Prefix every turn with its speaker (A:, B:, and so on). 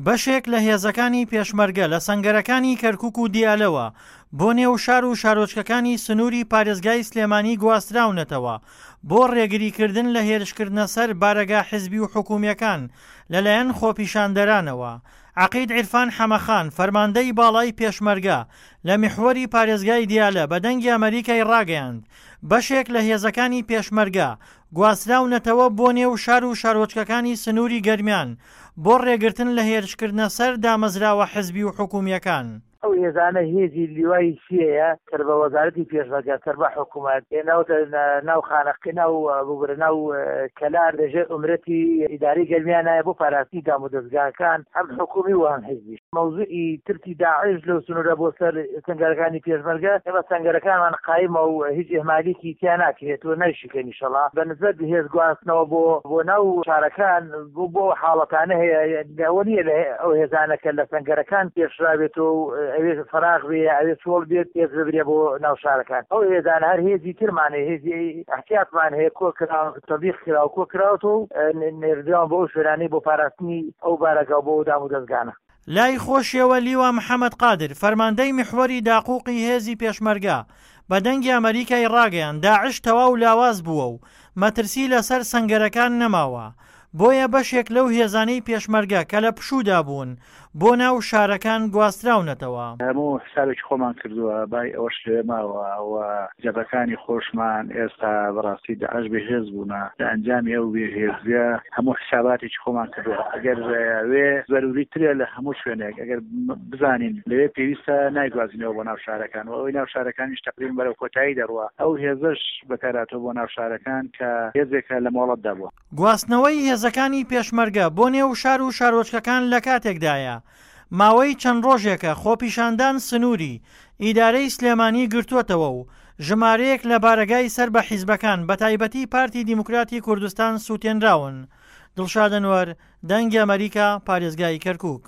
A: بەشێک لە هێزەکانی پێشمەرگە لە سەنگەرەکانی کەرکوک و دیالەوە بۆ نێو شار و شارۆچکەکانی سنووری پارێزگای سلێمانی گواستراونەتەوە بۆ ڕێگریکردن لە هێرشکردنە سەر بارەگا حزبی و حکومییەکان لەلایەن خۆپیشاندەرانەوە. عەقید عیرفان حەمەخان، فەرماندەی باڵای پێشمەرگە لە میحوەری پارێزگای دیالە بە دەنگی ئەمەریکای ڕاگەیاند، بەشێک لە هێزەکانی پێشمەرگە گواستراونەتەوە بۆ نێو شار و شارۆچکەکانی سنووری گەرمیان بۆ ڕێگرتن لە هێرشکردنە سەر دامەزراوە حزبی و حکومییەکان.
B: ئەو هێزانە هێزی لیوای سێیە سەر بە وەزارەتی پێشمەرگە سەر بە حکوومەت هێناوتە ناو خانەقی ناو ببورە ناو کەلار لە ژێر ئومرەتی ئیدارەی گەرمیانایە بۆ پاراستنی دامودەزگاکان هەم حکوومی و هەم حزبی. مەوزوعی ترسی داعش لەو سنوورە بۆ سەر سەنگەرەکانی پێشمەرگە، ئێمە سەنگەرەکانمان قایمە و هیچ ئیهمالیکی تیا ناکرێت و نایشکێن ئیشەڵا. بە نسبەت هێز گواستنەوە بۆ بۆ ناو شارەکان بۆ بۆ ئەو حاڵەتانە هەیە ئەوە نییە لە ئەو هێزانە کە لە سەنگەرەکان پێشراوێتەوە و ئەوێ فەراغ بێ یا ئەوێ چۆڵ بێت هێز ببرێ بۆ ناو شارەکان. ئەو هێزانە هەر هێزی ترمان هەیە، هێزی ئیحتیاتمان هەیە کۆ کراوە، تەبیق کراوە، کۆ کراوەتەوە و نێردراون بۆ ئەو شوێنانەی بۆ پاراستنی ئەو بارەگا و بۆ ئەو دامودەزگانە.
A: لای خۆشیەوە لیوا محەمەد قادر، فەرماندەی میحوەری داقوقی هێزی پێشمەرگە، بە دەنگی ئەمەریکای ڕاگەیاند داعش تەواو لاواز بووە و مەترسی لەسەر سەنگەرەکان نەماوە، بۆیە بەشێک لەو هێزانەی پێشمەرگە کە لە پشوودا بوون بۆ ناو شارەکان گواستراونەتەوە.
C: هەموو حسابێکی خۆمان کردووە، بای ئەوەش لەوێ ماوە و جەبهەکانی خۆشمان ئێستا بەڕاستی داعش بێهێز بوونە، لە ئەنجامی ئەو بێهێزییە هەموو حساباتێکی خۆمان کردووە، ئەگەر وێ زەرووری ترە لە هەموو شوێنێک ئەگەر بزانین لەوێ پێویستە نایگوازینەوە بۆ ناو شارەکان و ئەوەی ناو شارەکانیش تەقریبەن بەرەو کۆتایی دەڕوا، ئەو هێزەش بەکارهاتووە بۆ ناو شارەکان کە هێزێکە لە مۆڵەتدا بووە.
A: گواستنەوەی هێزەکانی پێشمەرگە بۆ نێو شار و شارۆچکەکان لەکاتێکدایە، ماوەی چەند ڕۆژێکە خۆپیشاندان سنووری ئیدارەی سلێمانی گرتووەتەوە و ژمارەیەک لە بارەگای سەر بە حیزبەکان بەتایبەتی پارتی دیموکراتی کوردستان سووتێنراون. دڵشاد ئەنوەر، دەنگی ئەمەریکا، پارێزگای کەرکووک.